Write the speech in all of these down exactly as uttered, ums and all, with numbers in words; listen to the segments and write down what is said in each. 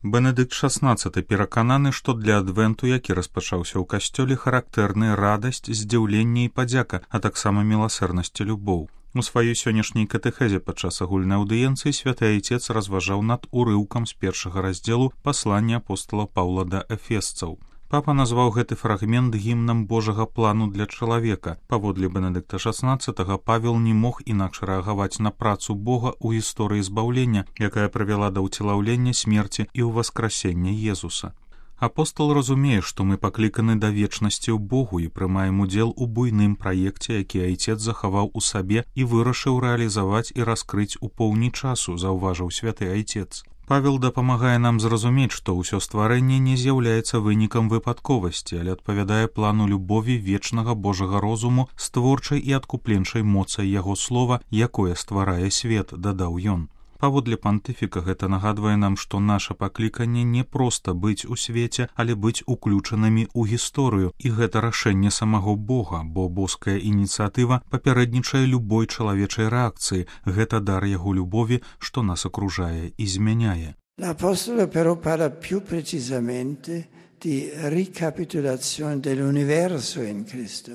Бенедыкт шаснаццаты перакананы, што для адвенту, які распачаўся ў касцёле, характэрны радасць, здзіўленне і падзяка, а таксама міласэрнасць і любоў. У сваёй сённяшняй катэхезе падчас агульнай аўдыенцыі святы айцец разважаў над урыўкам з першага раздзелу паслання апостала Паўла да эфесцаў. Папа назваў гэты фрагмент гімнам Божага плану для чалавека. Паводле Бенедыкта шаснаццатага Павел не мог інакш рэагаваць на працу Бога ў гісторыі збаўлення, якая прывяла да ўцелаўлення, смерці і ўваскрасення Езуса. Апостол разумее, што мы пакліканы да вечнасці ў Богу і прымаем удзел у буйным праекце, які айцец захаваў у сабе і вырашыў рэалізаваць і раскрыць у поўні часу, заўважыў святы айцец. Павел дапамагае нам зразумець, што ўсё стварэнне не з'яўляецца вынікам выпадковасці, але адпавядае плану любові вечнага Божага розуму з творчай і адкупленчай моцай яго слова, якое стварае свет, дадаў ён. Паводле пантыфіка гэта нагадвае нам, што наша пакліканне не проста быць у свеце, але быць уключанымі ў гісторыю, і гэта рашэнне самого Бога, бо боская ініцыятыва папярэднічае любой чалавечай рэакцыі, гэта дар яго любові, што нас акружае і змяняе. L'Apostolo però parla più precisamente di ricapitolazione dell'universo in Cristo.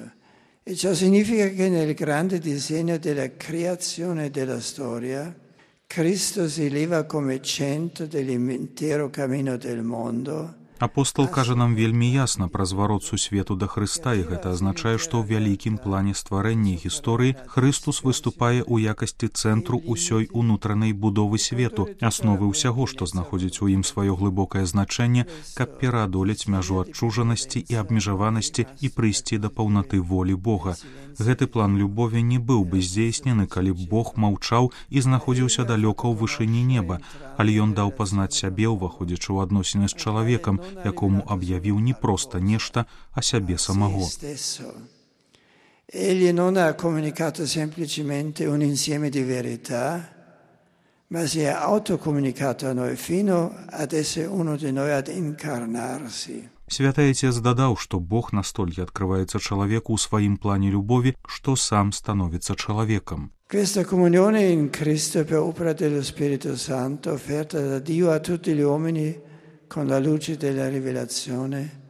E ciò significa che nel grande disegno della creazione della storia Cristo si eleva come centro dell'intero cammino del mondo. Апостол кажа нам вельмі ясна пра зварот сусвету да Хрыста, і гэта азначае, што ў вялікім плане стварэння гісторыі Хрыстус выступае ў якасці цэнтру ўсёй унутранай будовы свету, асновы ўсяго, што знаходзіць у ім сваё глыбокае значэнне, каб пераадолець мяжу адчужанасці і абмежаванасці і прыйсці да паўнаты волі Бога. Гэты план любові не быў бы здзейснены, калі б Бог маўчаў і знаходзіўся далёка ў вышыні неба, але ён даў пазнаць сябе, уваходзячы ў адносіны з чалавекам, якому аб'явіў не проста нешта, а сябе самого. Egli non ha comunicato semplicemente un insieme di verità, ma si è autocomunicato a noi fino ad essere uno di noi, ad incarnarsi. Святы айцец дадаў, што Бог настолькі адкрываецца чалавеку ў сваім плане любові, што сам становіцца чалавекам. Questa comunione in Cristo per opera dello Spirito Santo offerta da Dio a tutti gli uomini con la luce della rivelazione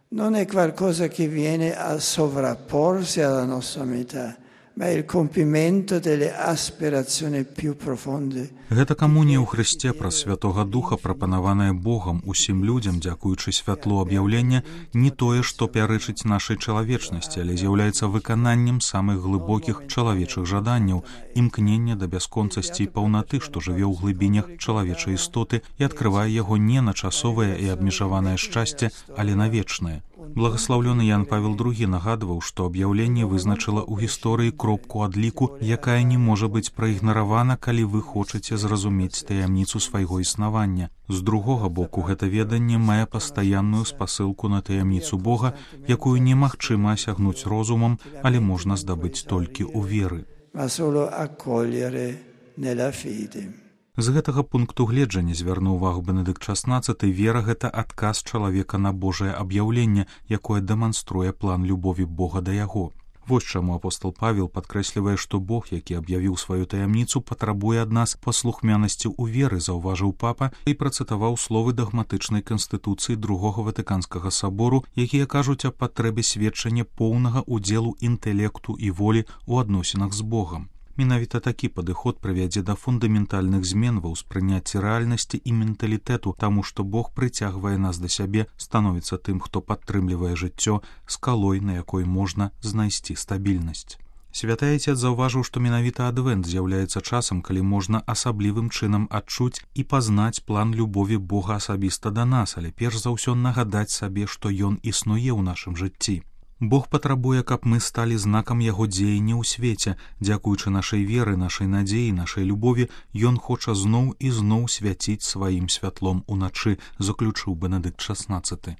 non è qualcosa che viene a sovrapporsi alla nostra metà, ma è il compimento delle aspirazioni più profonde. Гэта камунія ў Хрысце праз Святога Духа, прапанаваная Богам усім людзям, дзякуючы святлу аб'яўлення, не тое, што пярэчыць нашай чалавечнасці, але з'яўляецца выкананнем самых глыбокіх чалавечых жаданняў, імкнення да бясконцасці і паўнаты, што жыве ў глыбінях чалавечай істоты і адкрывае яго не на часовае і абмежаванае шчасце, але на вечнае. Благаслаўлёны Ян Павел другі нагадваў, што аб'яўленне вызначыла ў гісторыі кропку адліку, якая не можа быць праігнаравана, калі вы хочаце зразумець таямніцу свайго існавання. З другога боку, гэта веданне мае пастаянную спасылку на таямніцу Бога, якую немагчыма асягнуць розумам, але можна здабыць толькі ў веры. Ma solo accogliere nella fede. З гэтага пункту гледжання, звярнуў увагу Бенедыкт шаснаццаты, вера — гэта адказ чалавека на Божае аб'яўленне, якое дэманструе план любові Бога да яго. Вось чаму апостол Павел падкрэслівае, што Бог, які аб'явіў сваю таямніцу, патрабуе ад нас паслухмянасці ў веры, заўважыў папа і працытаваў словы дагматычнай канстытуцыі другога Ватыканскага сабору, якія кажуць аб патрэбе сведчання поўнага удзелу інтэлекту і волі ў адносінах з Богам. Менавіта такі падыход прывядзе да фундаментальных змен ва ўспрыняцці рэальнасці і менталітэту, таму што Бог прыцягвае нас да сябе, становіцца тым, хто падтрымлівае жыццё, скалой, на якой можна знайсці стабільнасць. Святы айцец заўважыў, што менавіта адвент з'яўляецца часам, калі можна асаблівым чынам адчуць і пазнаць план любові Бога асабіста да нас, але перш за ўсё нагадаць сабе, што ён існуе ў нашым жыцці. Бог патрабуе, каб мы сталі знакам яго дзеяння ў свеце. Дзякуючы нашай веры, нашай надзеі, нашай любові, ён хоча зноў і зноў свяціць сваім святлом уначы, заключыў Бенедыкт шаснаццаты.